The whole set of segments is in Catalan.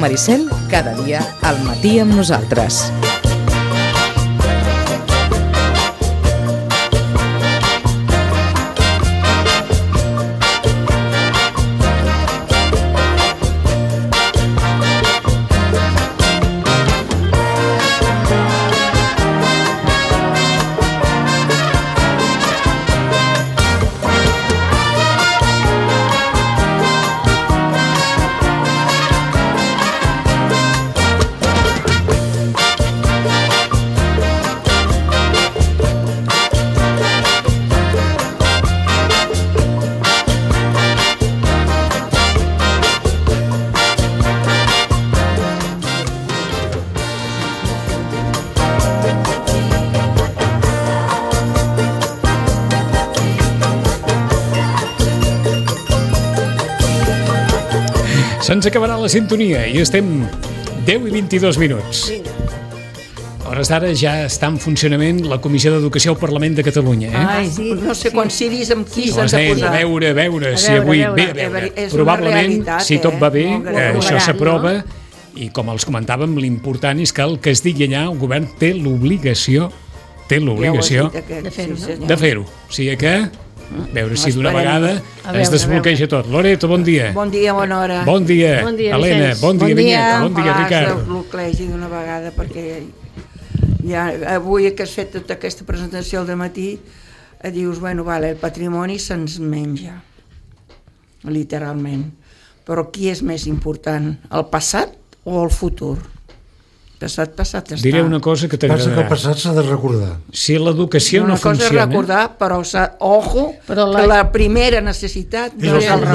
Maricel, cada dia al matí amb nosaltres. Se'ns acabarà la sintonia i estem 10 i 22 minuts. A hores d'ara ja està en funcionament la Comissió d'Educació al Parlament de Catalunya. Ai, sí, no sé quants ciris amb qui s'han de posar. A veure si avui... Probablement, si tot va bé, això s'aprova i, com els comentàvem, l'important és que el que es digui allà, el govern té l'obligació de fer-ho. O sigui que... veure si d'una vegada es desbloqueja tot. Loreto, bon dia. Bon dia, bona hora. Bon dia, Helena. Bon dia, Vinyeta. Bon dia, Ricard. Ojalà es desbloquegi d'una vegada, perquè ja avui que has fet tota aquesta presentació al dematí, dius, bueno, vale, el patrimoni se'ns menja, literalment. Però qui és més important, el passat o el futur? Passat està. Diré una cosa que t'agradarà. Passa que el passat s'ha de recordar. Si l'educació no funciona... Una cosa és recordar, però que la primera necessitat és el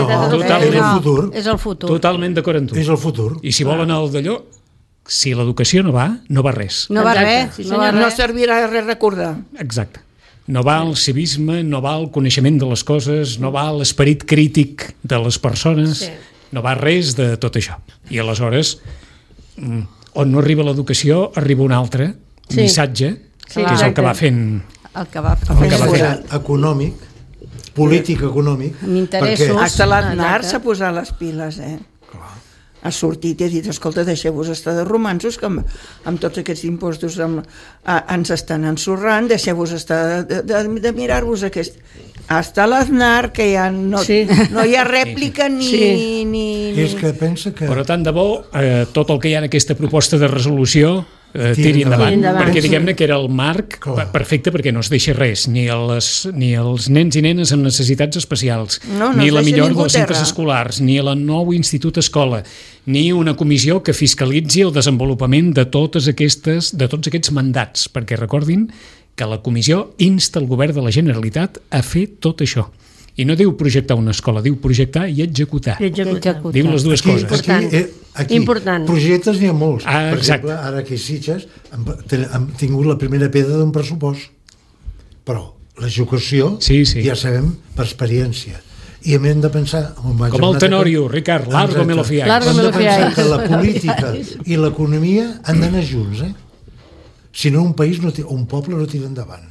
futur. És el futur. Totalment d'acord amb tu. És el futur. I si volen el d'allò, si l'educació no va res. No va res. No servirà res recordar. Exacte. No va el civisme, no va el coneixement de les coses, no va l'esperit crític de les persones, no va res de tot això. I aleshores... on no arriba l'educació, arriba un altre missatge, que és el que va fent... El que va fent econòmic, polític econòmic. Amb interessos. Hasta l'Aznar s'ha posat les piles, ha sortit i ha dit, escolta, deixeu-vos estar de romansos, que amb tots aquests impostos ens estan ensorrant, deixeu-vos estar de mirar-vos aquest... Hasta l'Aznar, que ja no hi ha rèplica ni... És que pensa que... Però tant de bo, tot el que hi ha en aquesta proposta de resolució tiri endavant, perquè diguem-ne que era el marc perfecte, perquè no es deixa res, ni els nens i nenes amb necessitats especials, ni la millor dels centres escolars, ni el nou institut escola, ni una comissió que fiscalitzi el desenvolupament de tots aquests mandats, perquè recordin que la comissió insta el govern de la Generalitat a fer tot això. I no diu projectar una escola, diu projectar i executar. Diu les dues coses. Aquí projectes n'hi ha molts. Per exemple, ara aquí a Sitges hem tingut la primera pedra d'un pressupost. Però l'execució ja sabem per experiència. I hem de pensar... Com el Tenorio, Ricard, largo me lo fiáis. Hem de pensar que la política i l'economia han d'anar junts, si no un país o un poble no tira endavant.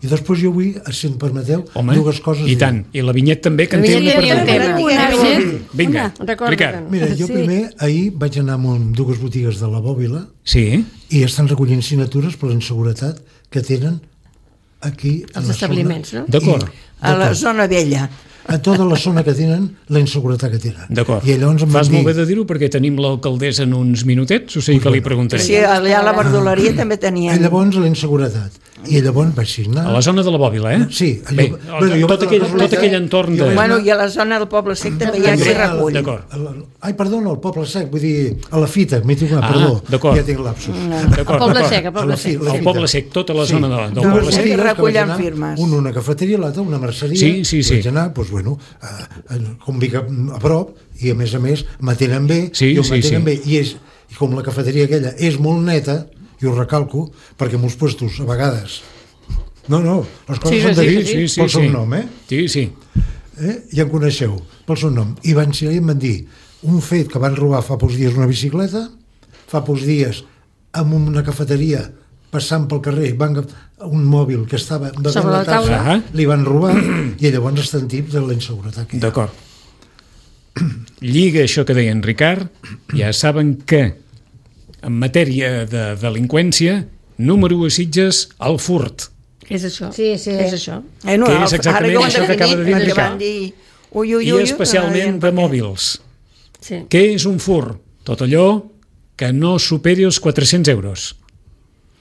I després jo vull, si em permeteu, dues coses. I tant, i la Vinyet també, que en té una per Vinga, Ricard. Mira, jo primer, ahir vaig anar a dues botigues de la Bòbila i estan recollint signatures per la inseguretat que tenen aquí els establiments, no? D'acord. A la zona vella. A tota la zona que tenen, la inseguretat que tenen. D'acord. Fas molt bé de dir-ho perquè tenim l'alcaldessa en uns minutets, o sigui que li preguntaré. Sí, allà a la verdoleria també tenien... I llavors la inseguretat. I llavors vaig signar... A la zona de la Bòbila, Sí. Bé, tot aquell entorn de... Bueno, i a la zona del Poble Sec també hi ha qui recull. D'acord. Ai, perdona, el Poble Sec, vull dir, a la Fita, m'he tingut, perdó, ja tinc lapsus. El Poble Sec, el Poble Sec, tota la zona del Poble Sec. Recullen firmes. Una cafeteria, l'altra una merceria. Sí. Vaig anar, doncs, bueno, com dic, a prop, i a més m'atenen bé, jo m'atenen bé, i com la cafeteria aquella és molt neta, i ho recalco, perquè en molts puestos, a vegades... No, les coses s'han de dir pel seu nom, Sí. Ja em coneixeu, pel seu nom. I van ser i em van dir un fet que van robar fa pocs dies una bicicleta, fa pocs dies en una cafeteria passant pel carrer, un mòbil que estava davant la taula, li van robar, i llavors estan tips de la inseguretat. D'acord. lliga això que deia en Ricard, ja saben que en matèria de delinqüència, número 1 a Sitges, el furt. És això. Sí. És això. Que és exactament això que acaba de dir en Ricard. I especialment de mòbils. Sí. Què és un furt? Tot allò que no superi els 400 euros.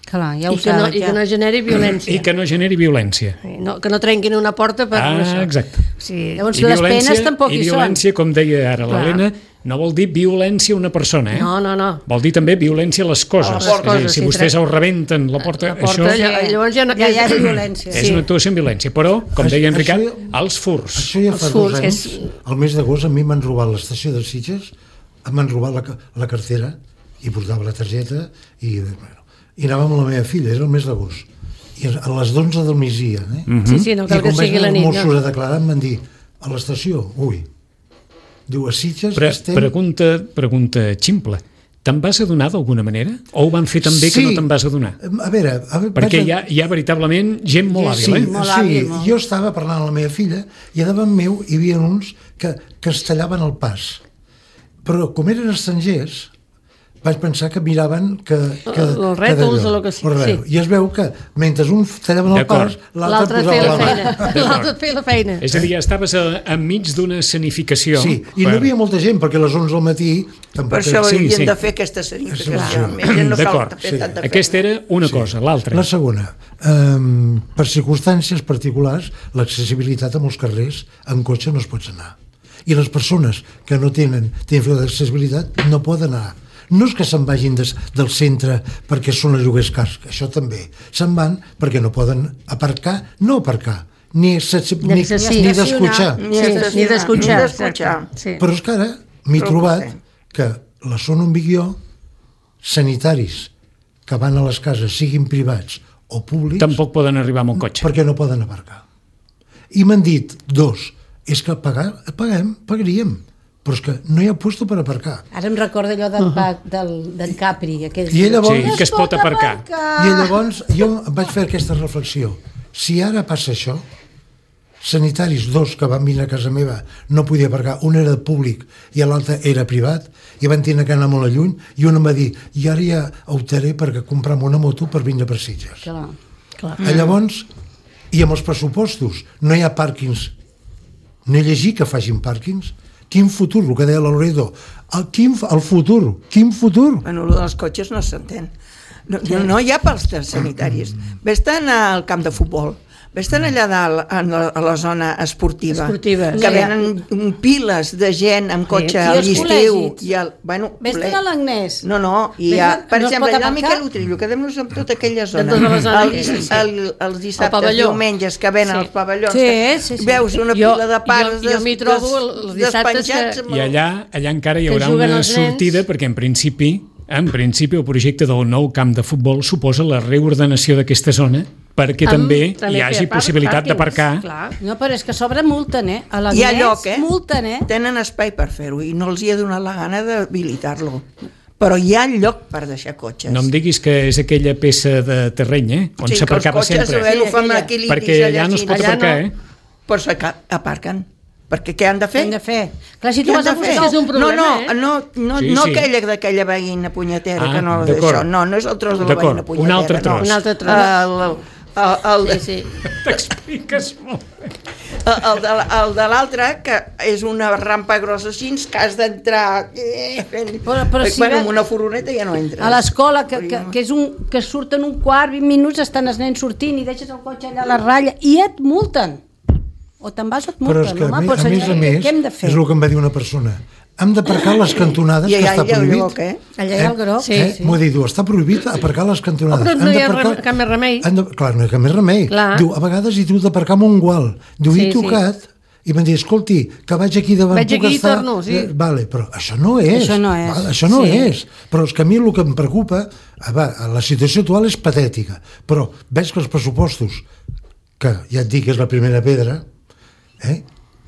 Clar, ja ho I que no generi violència. I que no generi violència. Que no trenquin una porta per això. Exacte. Sí. Llavors les penes tampoc hi són. I violència, com deia ara l'Helena, no vol dir violència a una persona, No. Vol dir també violència a les coses. És a dir, si vostès ho rebenten la porta, això llavors ja és violència. és una actuació en violència. Però, com deia en Ricard, els furts. Això ja fa 2 anys, el mes d'agost, a mi m'han robat l'estació de Sitges, m'han robat la cartera i portava la targeta i anàvem amb la meva filla, era el mes d'agost. I a les 11 del migdia, Sí, no cal que sigui la nit. I quan vaig anar als Mossos a declarar em van dir, a l'estació, diu, a Sitges estem... Pregunta ximple. Te'n vas adonar d'alguna manera? O ho van fer tan bé que no te'n vas adonar? A veure perquè hi ha veritablement gent molt hàbil, Sí, jo estava parlant amb la meva filla i a davant meu hi havia uns que es tallaven el pas. Però com eren estrangers, vaig pensar que miraven els rètols o el que sigui. I es veu que mentre un tallaven el pas, l'altre posava la mà. L'altre feia la feina. És a dir, estaves enmig d'una escenificació. Sí, i no hi havia molta gent, perquè a les 11 del matí... Per això haurien de fer aquesta escenificació. D'acord, aquesta era una cosa, l'altra. La segona, per circumstàncies particulars, l'accessibilitat a molts carrers en cotxe no es pot anar. I les persones que no tenen d'accessibilitat no poden anar. No és que se'n vagin del centre perquè són a lloguers cars, això també. Se'n van perquè no poden aparcar, ni d'escutxar. Ni d'escutxar. Però és que ara m'he trobat que la zona on vic jo, sanitaris que van a les cases, siguin privats o públics... Tampoc poden arribar amb un cotxe. Perquè no poden aparcar. I m'han dit, és que pagaríem. Però és que no hi ha puesto per aparcar. Ara em recorda allò del Capri. I llavors, sí, que es pot aparcar. I llavors jo vaig fer aquesta reflexió. Si ara passa això, sanitaris, 2 que van venir a casa meva no podia aparcar, un era públic i l'altre era privat, i van tenir que anar molt a lluny, i un em va dir, i ara ja optaré per comprar una moto per vindre per Sitges. Clar. Llavors, i amb els pressupostos, no hi ha pàrquings. No he llegit que facin pàrquings. Quin futur, el que deia la Loreto. El futur, quin futur? Bueno, el dels cotxes no s'entén. No hi ha pels sanitaris. Ves-te'n al camp de futbol, ves-te'n allà dalt a la zona esportiva, que venen piles de gent amb cotxe a l'estiu. Ves-te'n a l'Agnès. No, per exemple, allà al Miquel Utrillo, quedem-nos amb tota aquella zona. Els dissabtes, diumenges, que venen als pavellons, veus una pila de pares despenjats. I allà encara hi haurà una sortida, perquè en principi el projecte del nou camp de futbol suposa la reordenació d'aquesta zona perquè també hi hagi possibilitat d'aparcar. No, però és que sobre multen, a l'Agnès. Hi ha lloc, multen, Tenen espai per fer-ho i no els hi ha donat la gana d'habilitar-lo. Però hi ha lloc per deixar cotxes. No em diguis que és aquella peça de terreny, on s'aparcava sempre. Perquè allà no es pot aparcar, Però aparquen. Perquè què han de fer? Clar, si tu vas a buscar és un problema, No aquella veïna punyetera, que no és això. No és el tros de la veïna punyetera. Un altre tros. T'expliques molt bé. El de l'altre, que és una rampa grossa així, que has d'entrar amb una furgoneta ja no entres. A l'escola, que surten un quart, 20 minuts, estan els nens sortint i deixes el cotxe allà a la ratlla i et multen. O te'n vas o et multen. Però és que, a més, és el que em va dir una persona. Hem d'aparcar les cantonades, que està prohibit. Allà hi ha el groc. M'ho diu, està prohibit aparcar les cantonades. Però no hi ha cap més remei. Clar, no hi ha cap més remei. Diu, a vegades hi tu d'aparcar amb un gual. Diu, he tocat, i m'han dit, escolti, que vaig aquí davant, puc estar... Vale, però això no és. Això no és. Però és que a mi el que em preocupa, la situació actual és patètica, però veig que els pressupostos, que ja et dic que és la primera pedra,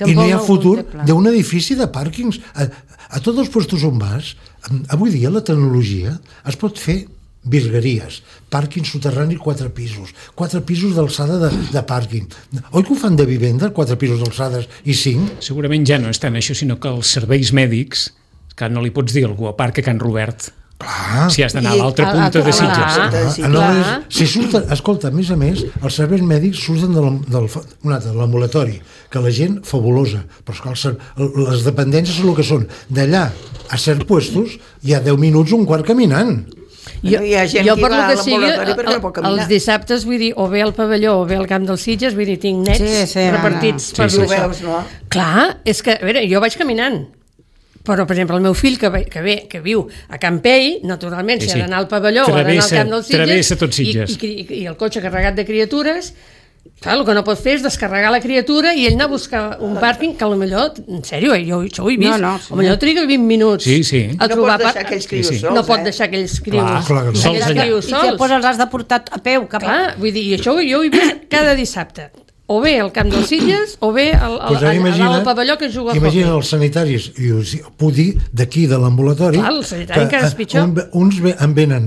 i no hi ha futur d'un edifici de pàrquings a tots els puestos on vas. Avui dia la tecnologia es pot fer virgueries, pàrquing soterrani 4 pisos, 4 pisos d'alçada de pàrquing. Oi que ho fan de vivenda, 4 pisos d'alçades i 5? Segurament ja no és tant això, sinó que els serveis mèdics, que no li pots dir a algú a Parc a Can Robert, clar. Si has d'anar a l'altra punta de Sitges. Escolta, a més, els serveis mèdics surten de l'ambulatori, que la gent fabulosa, però les dependències són el que són. D'allà a certs puestos hi ha 10 minuts, un quart caminant. Jo per lo que sigui, els dissabtes, vull dir, o bé al pavelló o bé al camp dels Sitges, vull dir, tinc nets repartits per això. Clar, és que, a veure, jo vaig caminant, però, per exemple, el meu fill que viu a Campell, naturalment, si ha d'anar al pavelló o ha d'anar al camp dels Sitges i el cotxe carregat de criatures, clar, el que no pot fer és descarregar la criatura i ell anar a buscar un pàrquing que potser, en sèrio, jo això ho he vist, potser triga 20 minuts a trobar no pots deixar aquells crios sols, no pot deixar aquells crios sols. I després els has de portar a peu cap a... Vull dir, i això jo ho he vist cada dissabte, o bé al camp dels Sitges o bé al pavelló que juga a hockey. Imagina els sanitaris, i us puc dir d'aquí de l'ambulatori, el sanitari encara és pitjor, uns en venen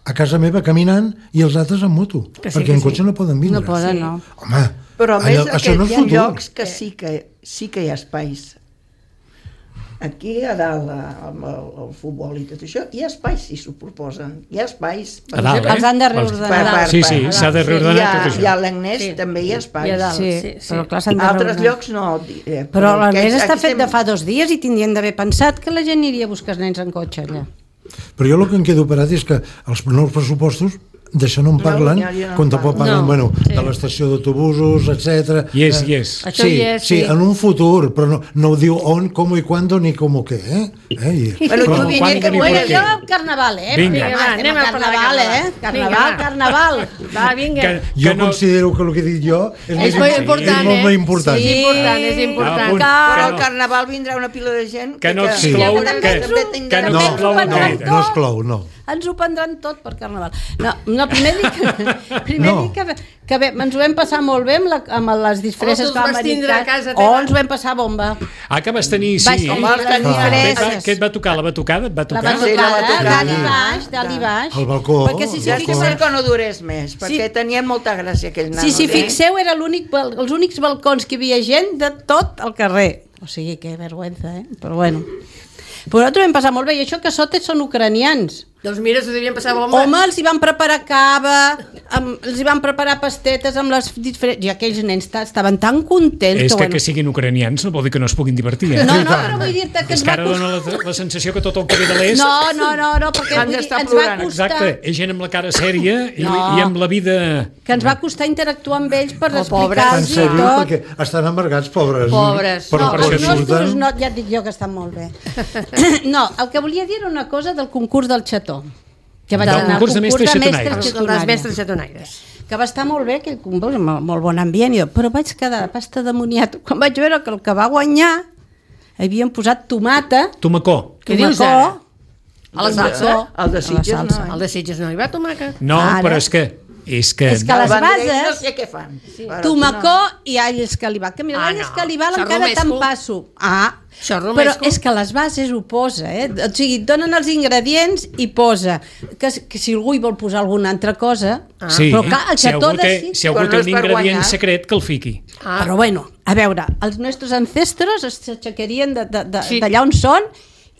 a casa meva caminant i els altres en moto, perquè en cotxe no poden vindre. No poden, no. Home, però a més hi ha llocs que sí que hi ha espais. Aquí a dalt, amb el futbol i tot això, hi ha espais, si s'ho proposen. Hi ha espais. A dalt, els han de reordenar. Sí, s'ha de reordenar tot això. I a l'Agnès també hi ha espais. Però clar, s'han de reordenar. Altres llocs no. Però l'Agnès està fet de fa 2 dies i tindrien d'haver pensat que la gent aniria a buscar els nens en cotxe allà. Però jo el que em quedo parat és que els nous pressupostos d'això no en parlen, quan tampoc parlen de l'estació d'autobusos, etc. Yes. Sí, en un futur, però no ho diu on, com i quan, ni com o què, Bueno, tu vinent que vull jo al carnaval, Vinga, anem al carnaval. Va, vinga. Jo considero que el que he dit jo és molt important. Sí, és important. Però al carnaval vindrà una pila de gent que no exclou, no exclou, no. Ens ho prendran tot per carnaval. No, primer dic que bé, ens ho vam passar molt bé amb les disfresses que vam americans. Ens ho vam passar bomba. Que vas tenir, sí. Què et va tocar? La batucada? Et va tocar? Dalt i baix. El balcó. Potser que no durés més, perquè tenien molta gràcia aquells nanos. Si fixeu, eren els únics balcons que hi havia gent de tot el carrer. O sigui, que vergüenza, però bueno. Però nosaltres vam passar molt bé, i això que sota són ucranians. Doncs mira, s'ho devien passar bomba. Home, els hi van preparar cava, els hi van preparar pastetes amb les diferents... I aquells nens estaven tan contents... És que siguin ucranians no vol dir que no es puguin divertir, No, però vull dir-te que és que ara dona la sensació que tot el que ve de l'est... No, perquè ens va costar... Exacte, és gent amb la cara sèria i amb la vida... Que ens va costar interactuar amb ells per explicar-los i tot. Perquè estan amargats, pobres. No, ja et dic jo que estan molt bé. No, el que volia dir era una cosa del concurs del xató. Que vaig anar al concurs de mestres xatonaires. Que va estar molt bé, aquell concurs, amb molt bon ambient, però vaig quedar pasta demoniat quan vaig veure que el que va guanyar havien posat tomacó. Què dius ara? A la salsa? Al de Sitges no. Al de Sitges no hi va tomàquet. No, però és que les bases, no sé què fan. Tomacó i all escalivat, que mira, l'all escalivat encara te'n passo. Però és que les bases ho posa, o sigui, et donen els ingredients i posa que si algú hi vol posar alguna altra cosa, però clar, el xató de si algú té un ingredient secret que el fiqui. Però bueno, a veure, els nostres ancestros s'aixecarien d'allà on són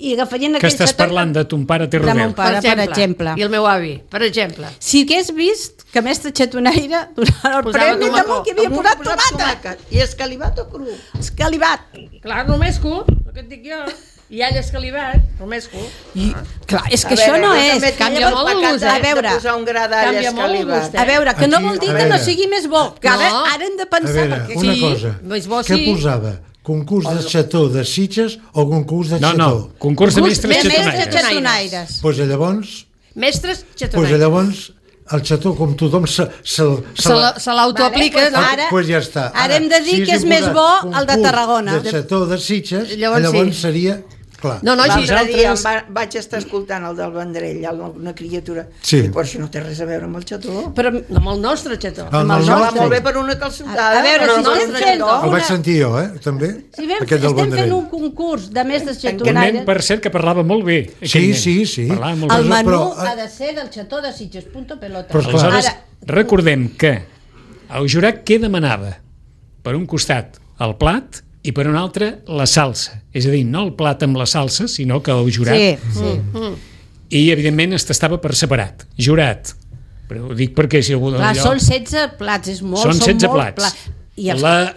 i agafarien aquell xató... Que estàs parlant de ton pare té de mon pare, per exemple. I el meu avi, per exemple. Si hagués vist que mestre xatonaire donava el premi damunt que havia posat tomata. I escalivat o cru? Escalivat. Clar, romesco, el que et dic jo. I all escalivat, romesco. Clar, és que això no és. Canvia molt el gust, a veure, posar un gra d'all escalivat. A veure, que no vol dir que no sigui més bo. Que ara hem de pensar... A veure, una cosa. Què posava? Concurs de xató de Sitges o concurs de xató? No, concurs de mestres xatonaires. Doncs llavors... Mestres xatonaires. Doncs llavors el xató, com tothom se l'autoaplica, no? Doncs ja està. Ara hem de dir que és més bo el de Tarragona. De xató de Sitges, llavors seria... L'altre dia vaig estar escoltant el del Vendrell, una criatura, i per això no té res a veure amb el xató. Però amb el nostre xató. Amb el nostre. Molt bé per una calçotada. A veure, si estem fent... El vaig sentir jo, també. Si estem fent un concurs de mestres xatonaires... Per cert, que parlava molt bé. Sí. El menú ha de ser del xató de Sitges, punto pelota. Aleshores, recordem que el jurat què demanava? Per un costat, el plat, i per un altre, la salsa. És a dir, no el plat amb la salsa, sinó que el jurat... Sí. I, evidentment, es tastava per separat. Jurat. Però ho dic perquè si algú... Clar, són 16 plats, és molt. Són 16 plats.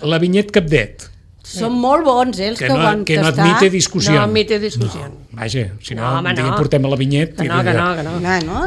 La Vinyet Capdet. Són molt bons, els que ho van tastar. Que no admite discussió. No admite discussió. Vaja, si no, portem a la Vinyet... Que no.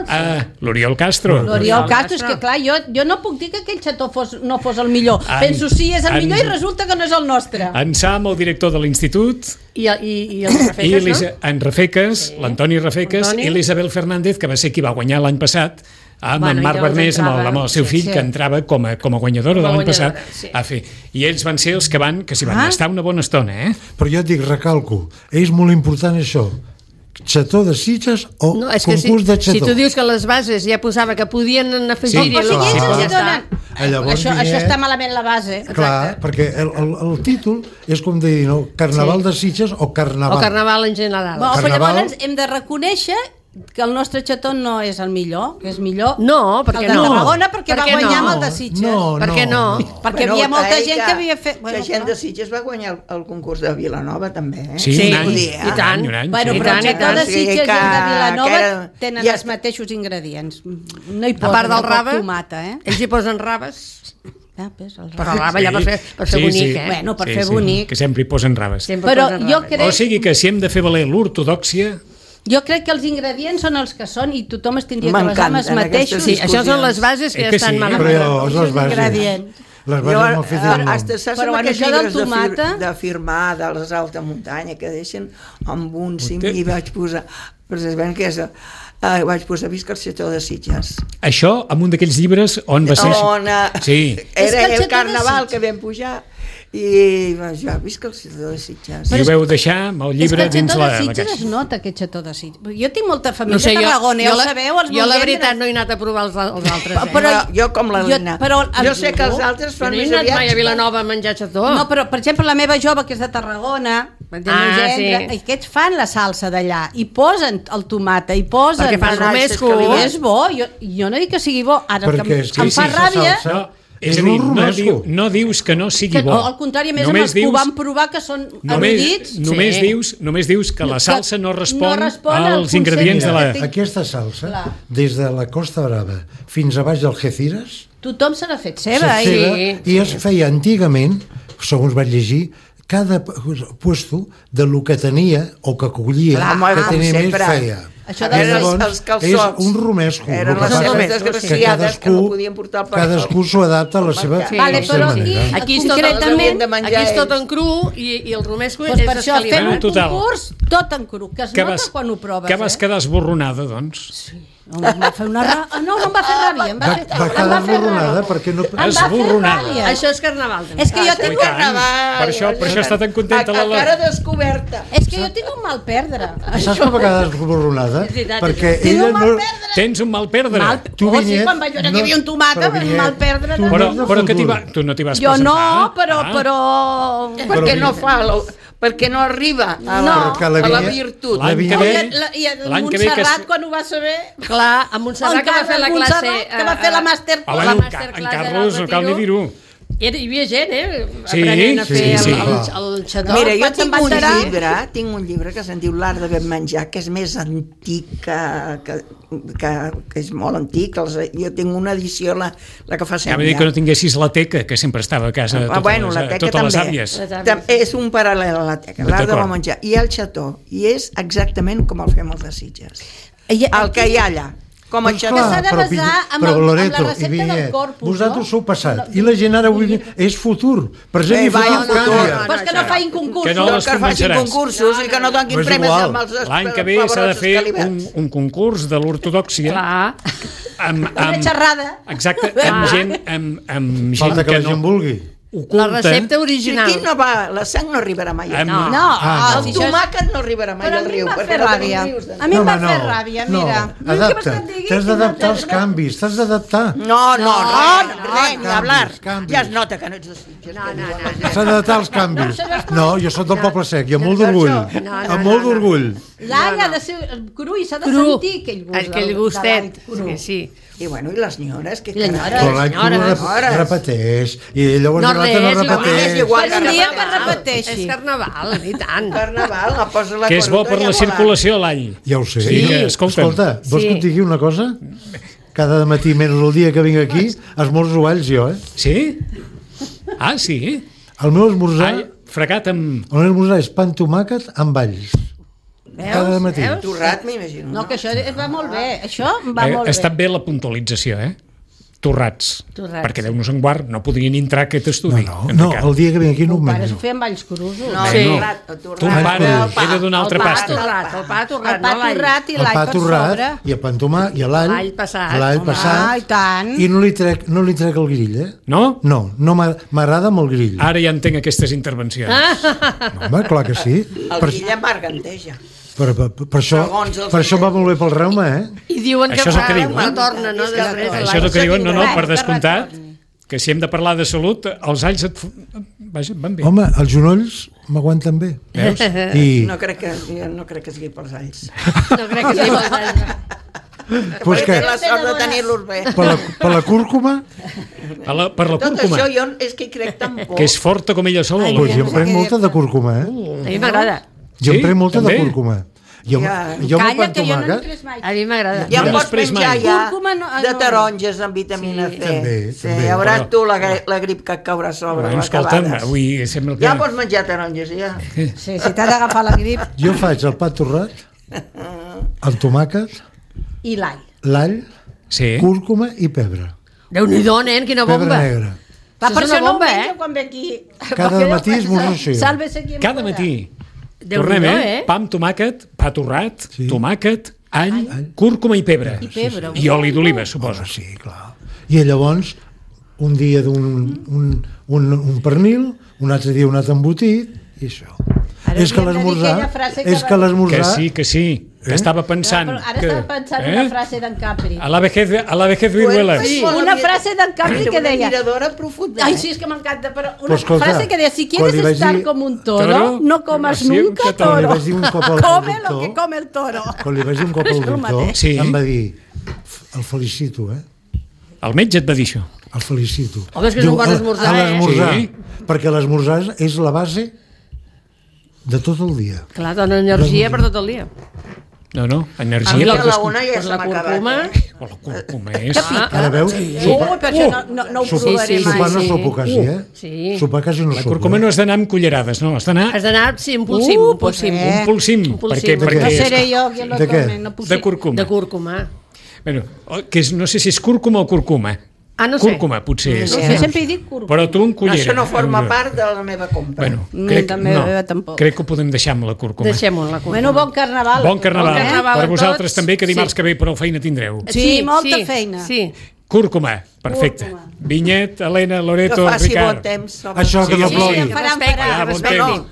L'Oriol Castro. L'Oriol Castro, és que clar, jo no puc dir que aquell xató no fos el millor. Penso, sí, és el millor i resulta que no és el nostre. En Sam, el director de l'institut... I el Rafeques, no? En Rafeques, l'Antoni Rafeques, i l'Isabel Fernández, que va ser qui va guanyar l'any passat, amb en Marc Bernés, amb el seu fill, que entrava com a guanyadora de l'any passat a fer. I ells van ser els que s'hi van estar una bona estona, Però jo et dic, recalco, és molt important això. Xató de Sitges o concurs de xató? Si tu dius que les bases ja posava que podien afegir-hi... Això està malament la base. Clar, perquè el títol és com dir, Carnaval de Sitges o Carnaval. O Carnaval en general. Però llavors hem de reconèixer que el nostre xató no és el millor, que és millor el de Tarragona, perquè va guanyar amb el de Sitges. Per què no? Perquè hi havia molta gent que havia fet... La gent de Sitges va guanyar el concurs de Vilanova, també. Sí, i tant. Però el xató de Sitges i el de Vilanova tenen els mateixos ingredients. No hi posen poc tomata, Ells hi posen raves. Però raba ja per fer bonic, Bueno, per fer bonic. Que sempre hi posen raves. Però jo crec... O sigui que si hem de fer valer l'ortodòxia... Jo crec que els ingredients són els que són i tothom es tindria que basar amb els mateixos. Sí, això són les bases que ja estan malament. Però les bases. Les bases mal fetes. Saps amb aquests llibres de firmar de les alta muntanya que deixen amb un cim i vaig posar precisament que és... vaig posar Visca el xató de Sitges. Això amb un d'aquells llibres on va ser... Era el Carnaval que vam pujar i ja, visca el xató de Sitges. I ho veu deixar amb el llibre dins la caixa. És que el xató de Sitges es nota, aquest xató de Sitges. Jo tinc molta família a Tarragona, ja ho sabeu. Jo la veritat no he anat a provar els altres. Però jo com la Lina. Jo sé que els altres fan més aviat. No he anat mai a Vilanova a menjar xató. No, però per exemple la meva jove, que és de Tarragona, aquests fan la salsa d'allà i posen el tomata i posen... Perquè fan romesco. És bo, jo no dic que sigui bo. Ara em fa ràbia... És a dir, no dius que no sigui bo. Al contrari, a més ho van provar que són erudits. Només dius que la salsa no respon als ingredients de la... Aquesta salsa, des de la Costa Brava fins a baix d'Algeciras, tothom se l'ha fet seva. I es feia antigament, segons vaig llegir, cada puesto de lo que tenia o que collia, que tenia més feia. Això dels calçots. És un romesco. Eren les seves desgraciades que no podien portar el cadascú s'ho adapta a la seva manera. Aquí és tot en cru i el romesco és escalivat. Per això fem un concurs tot en cru, que es nota quan ho proves. Que vas quedar esborronada, doncs. Sí. No em va fer ràbia, em va quedar esborronada perquè no... Esborronada. Això és carnaval. És que jo tinc un carnaval. Per això està tan contenta la... A cara descoberta. És que jo tinc un mal perdre. Saps com va quedar esborronada? Perquè ella no... Tens un mal perdre. Sí, quan vaig veure que hi havia un tomata, mal perdre. Però que tu no t'hi vas presentar. Jo no, però... Perquè no fa... Perquè no arriba a la virtut. L'any que ve... I Montserrat, quan ho va saber... Clar, a Montserrat que va fer la classe... Que va fer la masterclass. En Carlos, no cal ni dir-ho. Hi havia gent, aprenent a fer el xató. Mira, jo tinc un llibre que se'n diu L'art de ben menjar, que és més antic, que és molt antic. Jo tinc una edició, la que fa sempre. Ja m'he dit que no tinguessis la teca, que sempre estava a casa totes les àvies. És un paral·lel a la teca, l'art de ben menjar. I el xató, i és exactament com el fem els de Sitges. El que hi ha allà. Com a xató. S'ha de basar amb la recepta del Corpus. Vosaltres sou passat i la gent ara és futur. Present i futur canvia. Però és que no feien concursos. Que no les convenceràs. I que no donin premis amb els... L'any que ve s'ha de fer un concurs de l'ortodòxia. Una xerrada. Exacte, amb gent Falta que la gent vulgui. oculta... La recepta original. Si aquí no va, la sang no arribarà mai. No. El tomàquet no arribarà mai al riu. Però a mi em va fer ràbia. A mi em va fer ràbia, mira. Adapta, t'has d'adaptar als canvis, t'has d'adaptar. No, res, ni hablar. Ja es nota que no ets de Sitges. S'ha d'adaptar als canvis. No, jo soc del Poble Sec i amb molt d'orgull. Amb molt d'orgull. L'all ha de ser cru i s'ha de sentir aquell gustet. Sí. I bueno, i les nyores? Però l'any repeteix. I llavors no repeteix. Un dia que repeteixi. És carnaval, i tant. Carnaval, la posa la que és bo per la circulació, l'all. Ja ho sé. Escolta, vols que et digui una cosa? Cada matí, menys el dia que vinc aquí, esmorzo alls jo, Sí? Ah, sí? El meu esmorzar... Fregat amb... El meu esmorzar és pa amb tomàquet amb alls. Cada matí. Torrat, m'imagino. No, que això va molt bé. Això va molt bé. Està bé la puntualització, Torrats. Perquè Déu-nos en guard, no podrien entrar aquest estudi. No, el dia que vinc aquí no ho menjo. Pares ho feia amb alls crusos. Ton pare era d'una altra pasta. El pa torrat, no l'all. El pa torrat i el pa amb tomàquet i l'all. L'all passat. I tant. I no li trec el grill, No? No, m'agrada amb el grill. Ara ja entenc aquestes intervencions. No, home, clar que sí. El grill amarganteja. Per això va molt bé pel reuma, I diuen que no torna, no? Això és el que diuen, no, per descomptat, que si hem de parlar de salut, els alls van bé. Home, els genolls m'aguanten bé. Veus? No crec que sigui pels alls. No crec que sigui pels alls. Pues té la sort de tenir-los bé. Per la cúrcuma? Per la cúrcuma. Tot això jo és que hi crec tan poc. Que és forta com ella sola. Pues jo em prenc molta de cúrcuma, A mi m'agrada. Jo em prenc molta de cúrcuma. Jo Calla, que jo no en pres mai. A mi m'agrada. Ja em pots menjar de taronges amb vitamina C. També. Veuràs tu la grip que et caurà sobre. Escolta'm, avui sembla que... Ja pots menjar taronges, ja. Sí, si t'ha d'agafar la grip. Jo faig el pa torrat, el tomàquet... I l'all. L'all, cúrcuma i pebre. Déu-n'hi-do, nen, quina bomba. Pebre negre. Per això no ho menjo quan ve aquí. Cada matí esmorzo així. Cada matí. Tornem, pa amb tomàquet, pa torrat, tomàquet, all, cúrcuma i pebre. I oli d'oliva, suposo. Sí, clar. I llavors, un dia un pernil, un altre dia un altre embotit, i això. És que l'esmorzar... Que sí. Estava pensant... Ara estava pensant una frase d'en Capri. A la vejez viruela. Una frase d'en Capri que deia... Ai, sí, és que m'encanta, però una frase que deia, si quieres estar com un toro, no comas nunca toro. Come lo que come el toro. Quan li vaig dir un cop al doctor, em va dir, el felicito, El metge et va dir això? El felicito. Home, és que és un bon esmorzar, perquè l'esmorzar és la base de tot el dia. Clar, dona energia per tot el dia. No, energia per la cúrcuma. La cúrcuma és... Ara veus? Per això no ho provaré mai. Sopar no sopo quasi, Sopar quasi no sopo. La cúrcuma no has d'anar amb cullerades, no? Has d'anar... sí, un polsim. Un polsim. No seré jo qui lo tome. De cúrcuma. De cúrcuma. Bueno, no sé si és cúrcuma o curcuma. No sé. Cúrcuma, potser és. No sé, sempre hi dic cúrcuma. Però tu en cullera. Això no forma part de la meva compra. Bueno, crec que ho podem deixar amb la cúrcuma. Deixem-ho amb la cúrcuma. Bueno, bon carnaval. Bon carnaval. Per vosaltres també, que dimarts que ve prou feina tindreu. Sí, molta feina. Sí. Cúrcuma, perfecte. Vinyet, Helena, Loreto, Ricard. Que faci bon temps. Això que no plogui. Faran.